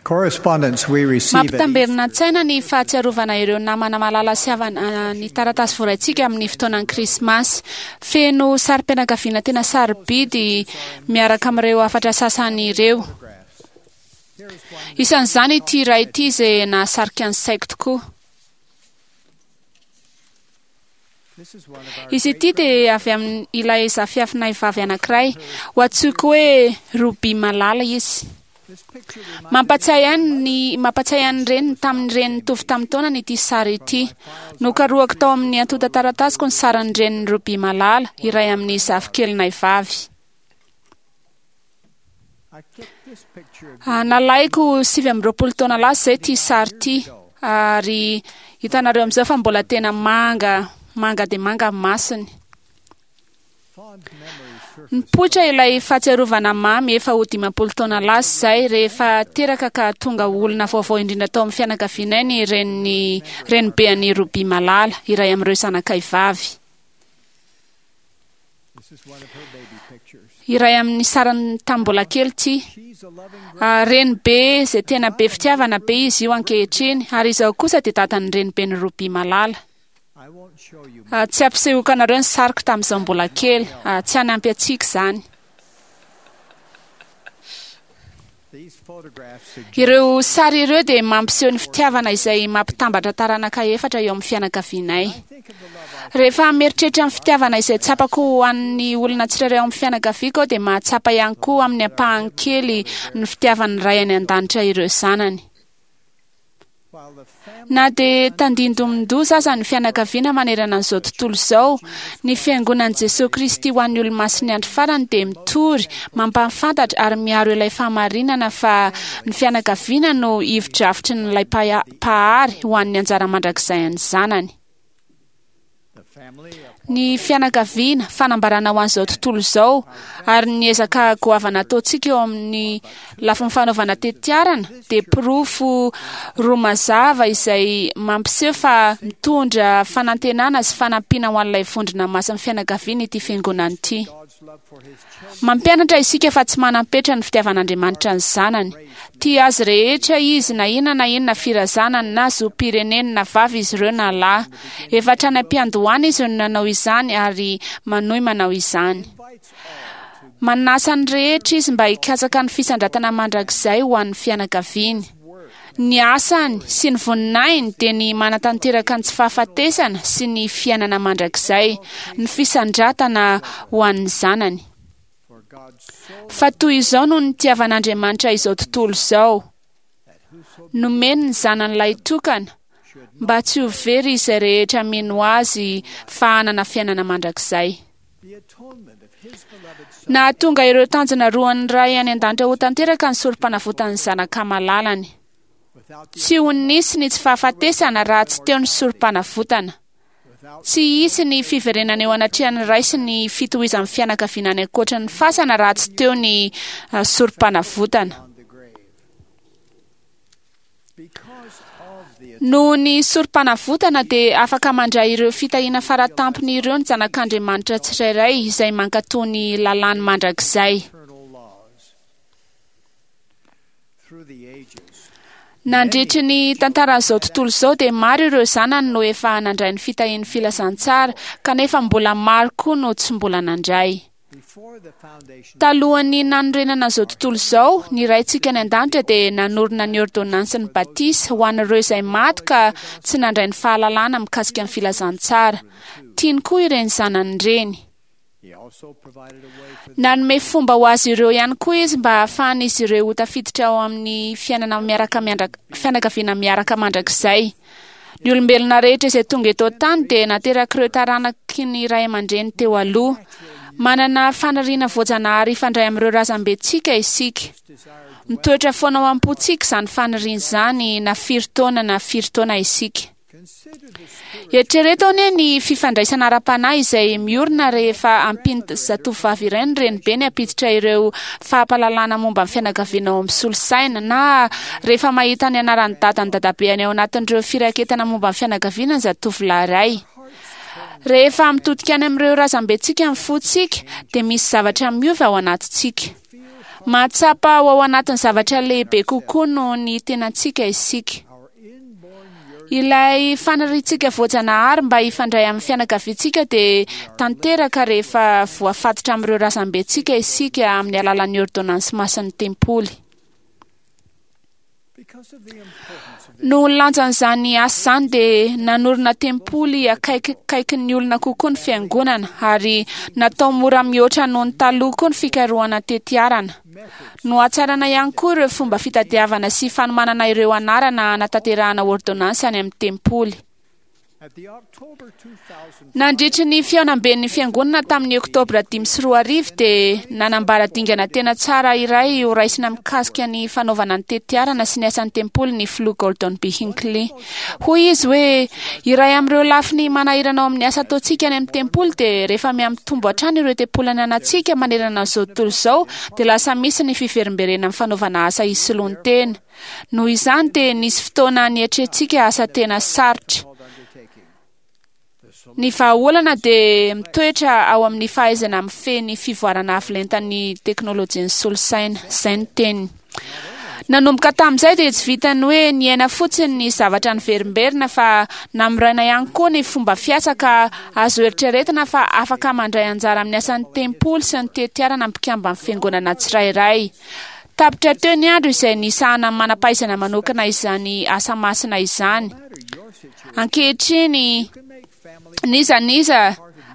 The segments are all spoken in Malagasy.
Correspondence we receive at Mampitamberina an-tsaina ny fahatsiarovana ireo namana malala sy havana ny taratasy voaraintsika amin'ny fotoanan'ny Krismasy. Feno sarim-pianakaviana tena sarobidy miaraka amin'ireo hafatra sasany ireo. Isan'izany ity iray ity izay nahasarika ny saiko tokoa. Izy ity dia avy amin'ilay zafiafinay vavy anankiray. Ho antsoiko hoe Ruby malala izy. Mampatsiahy ahy ny mampatsiahy ahy ny reniny tamin'ny reniny nitovy tamin'ny taonany ity sary ity. Nokarohako tao amin'ny antontan-taratasiko ny sarin'ny renin'i Ruby malala, iray amin'ny zafikelinay vavy. Nalaiko 29 taona lasa izay ity sary ity ary hitanareo amin'izao fa mbola tena manga manga dia manga ny masony. Nipoitra ilay fahatsiarovana mamy efa ho 50 taona lasa izay rehefa teraka ka tonga olona vaovao indrindra tao amin'ny fianakavianay ny reniny renibean'i Ruby Malala, iray amin'ireo zanakay vavy. Iray amin'ny sarany tamin'ny mbola kely ity. Renibe izay tena be fitiavana be izy io ankehitriny, ary izaho kosa dia dadan'ny reniben'i Ruby Malala. Tsy hampisehoako anareo ny sariko tamin'izaho mbola kely. Tsy hanampy antsika izany. Ireo sary ireo dia mampiseho ny fitiavana izay mampitambatra taranaka efatra eo amin'ny fianakavianay. Rehefa mieritreritra ny fitiavana izay tsapako ho an'ny olona tsirairay ao amin'ny fianakaviako aho dia mahatsapa ihany koa amin'ny ampahany kely ny fitiavan'ny Ray any An-danitra ireo zanany. Na dia tandindomin-doza aza ny fianakaviana manerana an'izao tontolo izao, ny Fiangonan'i Jesoa Kristy ho an'ny Olomasin'ny Andro Farany dia mitory, mampahafantatra ary miaro ilay fahamarinana fa ny fianakaviana no ivo-drafitrin'ilay Mpahary ho an'ny anjara mandrakizay an'ny zanany. Ny fianakaviana, fanambarana ho an'izao tontolo izao, ary ny ezaka goavana ataontsika eo amin'ny lafiny fanaovana tetiarana dia porofo roa mazava izay mampiseho fa mitondra fanantenana sy fanampiana ho an'ilay vondrona masin'ny fianakaviana ity fiangonana ity. Mampianatra isika fa tsy manam-petra ny fitiavan'Andriamanitra ny zanany. Tia azy rehetra izy na inona na inona firazanany na zom-pireneny na vavy izy ireo na lahy. Efa hatrany am-piandohana izy no nanao izany ary manohy manao izany. Manasa ny rehetra izy mba hikatsaka ny fisandratana mandrakizay ho an'ny fianakaviany. Ny asany sy ny voninahiny dia ny manatanteraka ny tsy fahafatesana sy ny fiainana mandrakizay, ny fisandratana ho an'ny zanany. Fa toy izao no nitiavan'Andriamanitra izao tontolo izao, nomeny ny zanany lahitokana, mba tsy ho very izay rehetra mino azy fa hanana fiainana mandrakizay. Nahatonga ireo tanjona roan'ny Ray any an-danitra ho tanteraka ny sorompanavotan'ny Zanaka malalany. Tsy ho nisy ny tsy fahafatesana raha tsy teo ny sorompanavotana. Tsy hisy ny fiverenana eo anatrehan'ny Ray sy ny fitohizan'ny fianakaviana any ankoatry ny fasana raha tsy teo ny sorompanavotana. Noho ny sorompanavotana dia afaka mandray ireo fitahiana faratampony ireo ny zanak'Andriamanitra tsirairay izay mankatò ny lalàny mandrakizay. Nandritry ny tantaran'izao tontolo izao dia maro ireo zanany no efa nandray ny fitahian'ny filazantsara, kanefa mbola maro koa no tsy mbola nandray. Talohan'ny nanorenana izao tontolo izao, ny Raintsika any An-danitra dia nanorina ny ôrdônansin'ny batisa ho an'ireo izay maty ka tsy nandray ny fahalalana mikasika ny filazantsara. Tiany koa ireny zanany ireny. Nanome fomba ho azy ireo ihany koa Izy mba hahafahan'izy ireo ho tafiditra ao amin'ny fiainana miaraka fianakaviana miaraka mandrakizay. Ny olombelona rehetra izay tonga eto an-tany dia naterak'ireo taranaky ny ray aman-dreny teo aloha. Manana faniriana voajanahary hifandray amin'ireo razambentsika isika. Mitoetra foana ao am-pontsika izany faniriana izany na firy taona na firy taona isika. Eritrereto anie ny fifandraisana ara-panahy izay miorina rehefa ampian'ny zatovovavy iray ny renibeny hampiditra ireo fahampahalalana momba ny fianakaviana ao amin'ny solosaina, na rehefa mahita ny anaran'ny dadany dadabeany ao anatin'ireo firaketana momba ny fianakaviana ny zatovolahy iray. Rehefa mitodika any amin'ireo razambentsika ny fontsika, dia misy zavatra miova ao anatintsika. Mahatsapa ho ao anatin'ny zavatra lehibe kokoa noho ny tenantsika isika. Ilay faniriantsika voajanahary mba hifandray amin'ny fianakaviantsika dia tanteraka rehefa voafatotra amin'ireo razambentsika isika amin'ny alalan'ny ôrdônansy masin'ny tempoly. Noho ny lanjan'izany asa izany dia nanorina tempoly akaikikaikin'ny olona kokoa ny fiangonana ary natao mora mihoatra noho ny taloha koa ny fikarohana tetiarana. Nohatsaraina ihany koa ireo fomba fitadiavana sy fanomanana ireo anarana hanatanterahana ôrdônansy any amin'ny tempoly. Nandritry ny fihaonamben'ny fiangonana tamin'ny Oktobra 2005 dia nanambara dingana tena tsara iray ho raisina mikasika ny fanaovana ny tetiarana sy ny asan'ny tempoly ny filoha Gordon B. Hinckley. Hoy izy hoe, Iray amin'ireo lafiny manahirana ao amin'ny asa ataontsika any amin'ny tempoly dia rehefa mihamitombo hatrany ireo tempoly ananantsika manerana an'izao tontolo izao dia lasa misy ny fiverimberenana amin'ny fanaovana asa isoloan-tena. Noho izany dia nisy fotoana nietrentsika asa tena sarotra. Ny vahaolana dia mitoetra ao amin'ny fahaizana mifehy ny fivoarana avo lentan'ny teknolojian'ny solosaina. Izay no teniny. Nanomboka tamin'izay dia tsy vitan'ny hoe niaina fotsiny ny zavatra niverimberina fa namoraina ihany koa ny fomba fiasa ka azo eritreretina fa afaka mandray anjara amin'ny asan'ny tempoly sy ny tetiarana ny mpikamban'ny fiangonana tsirairay. Tapitra teo ny andro izay nisahanan'ny manam-pahaizana manokana izany asa masina izany. Ankehitriny, n'iza n'iza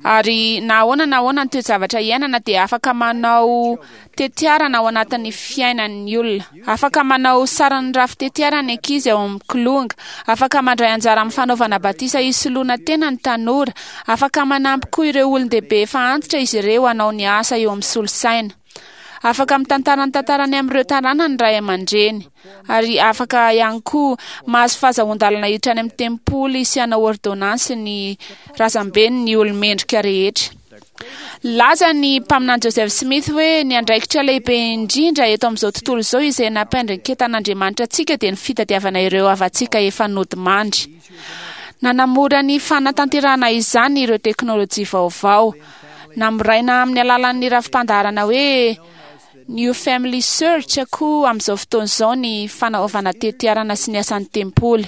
ary na ahoana na ahoana ny toe-javatra iainana dia afaka manao tetiarana ao anatin'ny fiainan'ny olona. Afaka manao sarin'ny rafi-tetiarana ny ankizy ao amin'ny kilonga. Afaka mandray anjara amin'ny fanaovana batisa hisoloana tena ny tanora. Afaka manampy koa ireo olon-dehibe efa antitra izy ireo hanao ny asa eo amin'ny solosaina. Afaka mitantara ny tantarany amin'ireo taranany ny ray aman-dreny, ary afaka ihany koa mahazo fahazahoan-dalana hiditra any amin'ny tempoly sy hanao ôrdônansy ny razambeny ny olo-mendrika rehetra. Nilaza ny mpaminany Joseph Smith hoe ny andraikitra lehibe indrindra eto amin'izao tontolo izao izay nampiandraiketan'Andriamanitra antsika dia ny fitadiavana ireo havantsika efa nodimandry. Nanamora ny fanatanterahana izany ireo teknolojia vaovao. Namoraina amin'ny alalan'ny rafi-pandaharana hoe New Family Search koa amin'izao fotoana izao ny fanaovana tetiarana sy ny asan'ny tempoly.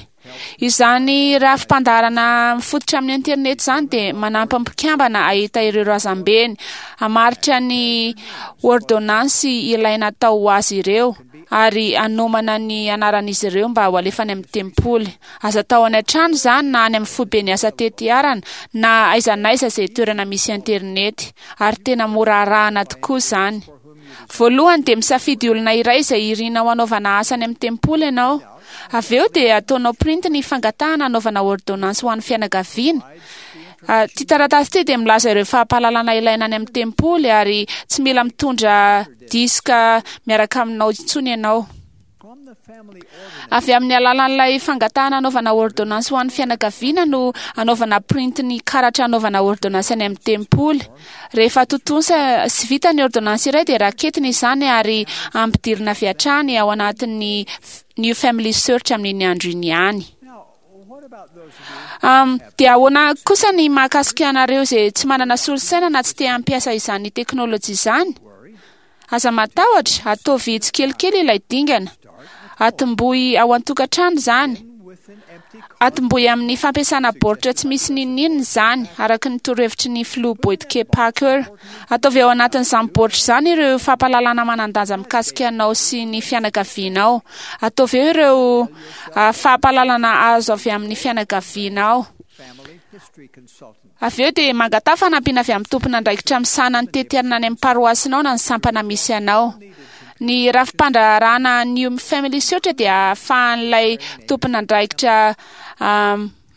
Izany rafi-pandaharana mifototra amin'ny internet izany dia manampy ny mpikambana hahita ireo razambeny, hamaritra ny ôrdônansy ilaina atao ho azy ireo, ary hanomana ny anaran'izy ireo mba ho alefa any amin'ny tempoly. Aza atao any an-trano izany na any amin'ny foiben'ny asa tetiarana na aiza na aiza izay toerana misy internet, ary tena mora arahana tokoa izany. Voalohany dia misafidy olona iray izay irinao hanaovana asa any amin'ny tempoly ianao. Avy eo dia ataonao printy ny fangatahana hanaovana ôrdônansy ho an'ny fianakaviana. Ity taratasy ity dia milaza ireo fampahalalana ilaina any amin'ny tempoly ary tsy mila mitondra diska miaraka aminao intsony ianao. Avy amin'ny alalan'ilay fangatahana hanaovana ôrdônansy ho an'ny fianakaviana no anaovana printy ny karatra hanaovana ôrdônansy any amin'ny tempoly. Rehefa tontosa sy vita ny ôrdônansy iray dia raketina izany ary ampidirina avy hatrany ao anatin'ny New Family Search amin'iny andro iny ihany. Dia ahoana kosa ny mahakasika anareo izay tsy manana solosaina na tsy te hampiasa izany teknolojia izany? Aza matahotra, ataovy tsikelikely ilay dingana. Atombohy ao an-tokantrano izany. Atombohy amin'ny fampiasana baoritra tsy misy n'inon'inona izany, araka ny torohevitry ny filoha Boyd K. Packer. Ataovy ao anatin'izany baoritra izany ireo fampahalalana manan-danja mikasika anao sy ny fianakavianao. Ataovy eo ireo fampahalalana azo avy amin'ny fianakavianao. Avy eo dia mangataha fanampiana avy amin'ny tompon'andraikitra misahana ny tetiarana any amin'ny paroasinao na ny sampana misy anao. Ny rafi-pandraharahana New Family Search dia ahafahan'ilay tompon'andraikitra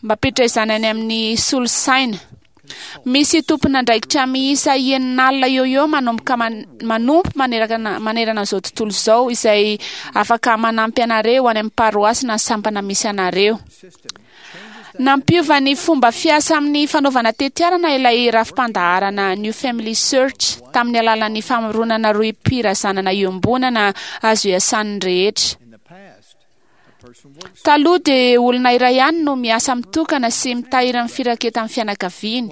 mampiditra izany any amin'ny solosaina. Misy tompon'andraikitra miisa 60 eo eo manomboka manompo manerana manerana izao tontolo izao izay afaka manampy anareo any amin'ny paroasy na sampana misy anareo. Nampiova ny fomba fiasa amin'ny fanaovana tetiarana ilay rafi-pandaharana New Family Search tamin'ny alalan'ny famoronana rohim-pirazanana iombonana azo iasan'ny rehetra. Taloha dia olona iray ihany no miasa mitokana sy mitahiry ny firaketan'ny fianakaviany.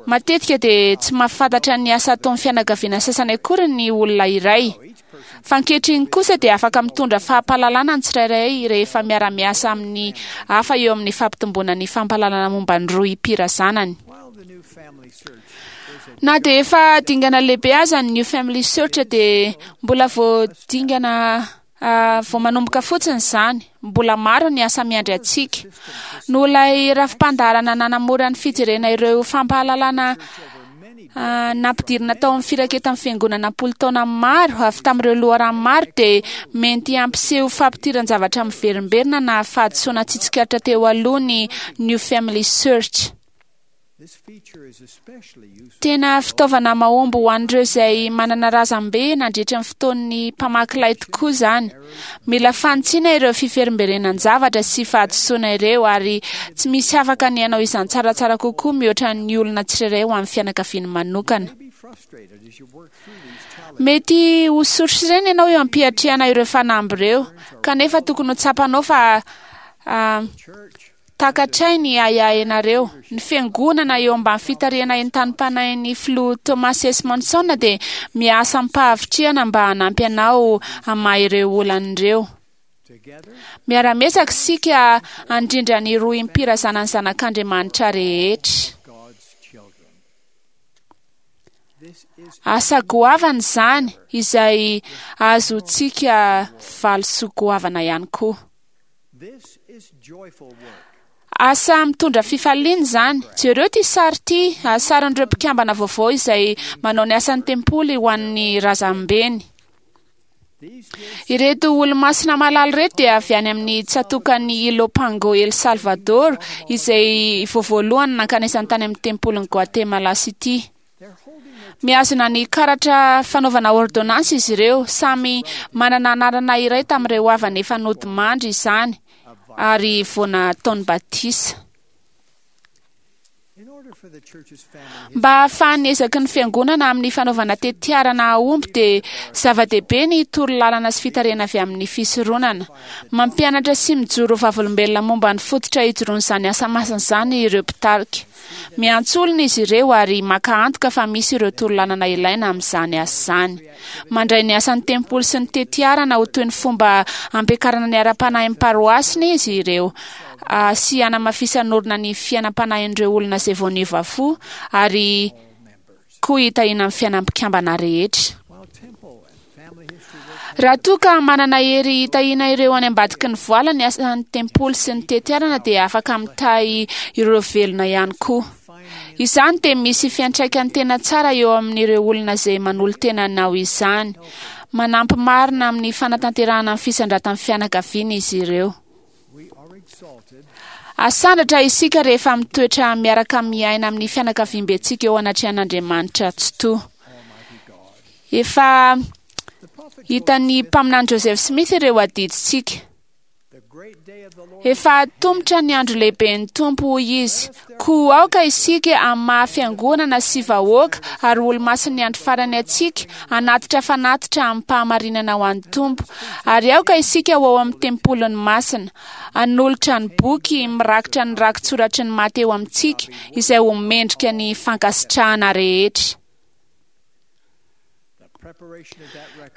Matetika dia tsy mahafantatra ny asa ataon'ny fianakaviana sasany akory ny olona iray. Fa ankehitriny kosa dia afaka mitondra fampahalalana ny tsirairay rehefa miara-miasa amin'ny hafa eo amin'ny fampitomboana ny fampahalalana momba ny rohim-pirazanany. Na dia efa dingana lehibe aza ny New Family Search dia mbola vao dingana vao manomboka fotsiny izany. Mbola maro ny asa miandry antsika. Noho ilay rafi-pandaharana nanamora ny fijerena ireo fampahalalana nampidirina tao amin'ny firaketan'ny fiangonana am-polo taona maro avy tamin'ireo loharano maro dia mety hampiseho fampitiran-javatra miverimberina na fahadisoana tsy tsikaritra teo aloha ny New Family Search. Tena fitaovana mahomby ho an'ireo izay manana razambe nandritra ny fotoan'ny mpamaky lay tokoa izany. Mila fanitsiana ireo fiverimberenan-javatra sy fahadisoana ireo ary tsy misy afaka ny hanao izany tsaratsara kokoa mihoatra ny olona tsirairay ho an'ny fianakaviany manokana. Mety ho sorisorena ianao eo am-piatrehana ireo fanamby ireo, kanefa tokony ho tsapanao fa takatray ny ahiahinareo. Ny fiangonana eo ambany fitarihana entanim-panahin'ny filoha Thomas S. Monson dia miasa amim-pahavitrihana mba hanampy anao hamaha ireo olana ireo. Miara-miezaka isika handrindra ny rohim-pirazanan'ny zanak'Andriamanitra rehetra. Asa goavana izany izay azontsika valisoa goavana ihany koa. Asa mitondra fifaliana izany. Jereo ity sary ity, sarin'ireo mpikambana vaovao izay manao ny asan'ny tempoly ho an'ny razambeny. Ireto olo-masina malala ireto dia avy any amin'ny tsatòkan'i Ilopango El Salvador, izay vao voalohany nankanesany tany amin'ny tempolin'i Guatemala City. Mihazona ny karatra fanaovana ordonnance izy ireo, samy manana anarana iray tamin'ireo havany efa nodimandry izany ary vao nataony batisa. Mba hahafahan'ny ezaky ny fiangonana amin'ny fanaovana tetiarana hahomby dia zava-dehibe ny torolalana sy fitarihana avy amin'ny fisoronana. Mampianatra sy mijoro vavolombelona momba ny fototra ijoroan'izany asa masina izany ireo mpitarika. Miantso olona izy ireo ary maka antoka fa misy ireo torolalana ilaina amin'izany asa izany. Mandray ny asan'ny tempoly sy ny tetiarana ho toy ny fomba ampiakarana ny ara-panahin'ny paroasiny izy ireo sy hanamafisan'orina ny fiainam-panahin'ireo olona izay vao niova fo ary koa hitahiana ny fiainam-pikambana rehetra. Raha toa ka manana hery hitahiana ireo any ambadiky ny voala ny asan'ny tempoly sy ny tetiarana dia afaka mitahy ireo velona ihany koa. Izany dia misy fiantraikany tena tsara eo amin'ireo olona izay manolo-tena hanao izany. Manampy marina amin'ny fanatanterahana ny fisandratan'ny fianakaviana izy ireo. Asandratra isika rehefa mitoetra miaraka miaina amin'ny fianakaviambentsika eo anatrehan'Andriamanitra Tsitoha. Efa hitan'ny mpaminany Joseph Smith ireo adidintsika. Efa atomotra ny andro lehiben'ny Tompo, hoy izy. Koa aoka isika amin'ny maha fiangonana sy vahoaka ary olo-masin'ny andro farany antsika hanatitra fanatitra amim-pahamarinana ho an'ny Tompo. Ary aoka isika ho ao amin'ny tempoliny masina, hanolotra ny boky mirakitra ny rakitsoratry ny maty eo amintsika izay ho mendrika ny fankasitrahana rehetra.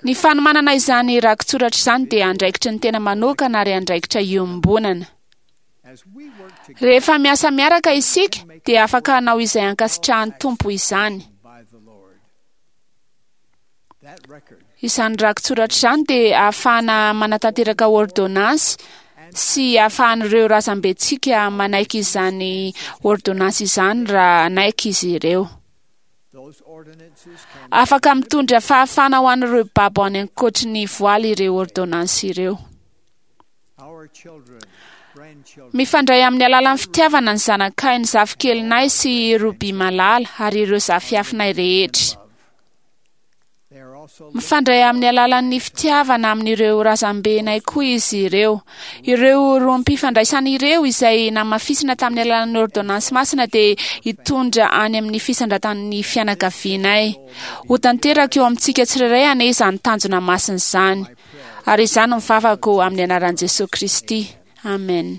Ny fanomanana izany rakitsoratra izany dia andraikitry ny tena manokana ary andraikitra iombonana. Rehefa miasa miaraka isika dia afaka hanao izay ankasitrahan'ny Tompo izany. Izany rakitsoratra izany dia ahafahana manatanteraka ôrdônansy sy ahafahan'ireo razambentsika manaiky izany ôrdônansy izany raha hanaiky izy ireo. Afaka mitondra fahafahana ho an'ireo babo any ankoatry ny voaly ireo ôrdônansy ireo. Mifandray amin'ny alalan'ny fitiavana ny zanakay, ny zafikelinay sy Ruby malala ary ireo zafiafinay rehetra. Mifandray amin'ny alalan'ny fitiavana amin'ireo razambenay koa izy ireo. Ireo rohim-pifandraisana ireo izay namafisina tamin'ny alalan'ny ôrdônansy masina dia hitondra any amin'ny fisandratan'ny fianakavianay. Ho tanteraka eo amintsika tsirairay anie izany tanjona masina izany. Ary izany no vavako amin'ny anaran'i Jesoa Kristy. Amen.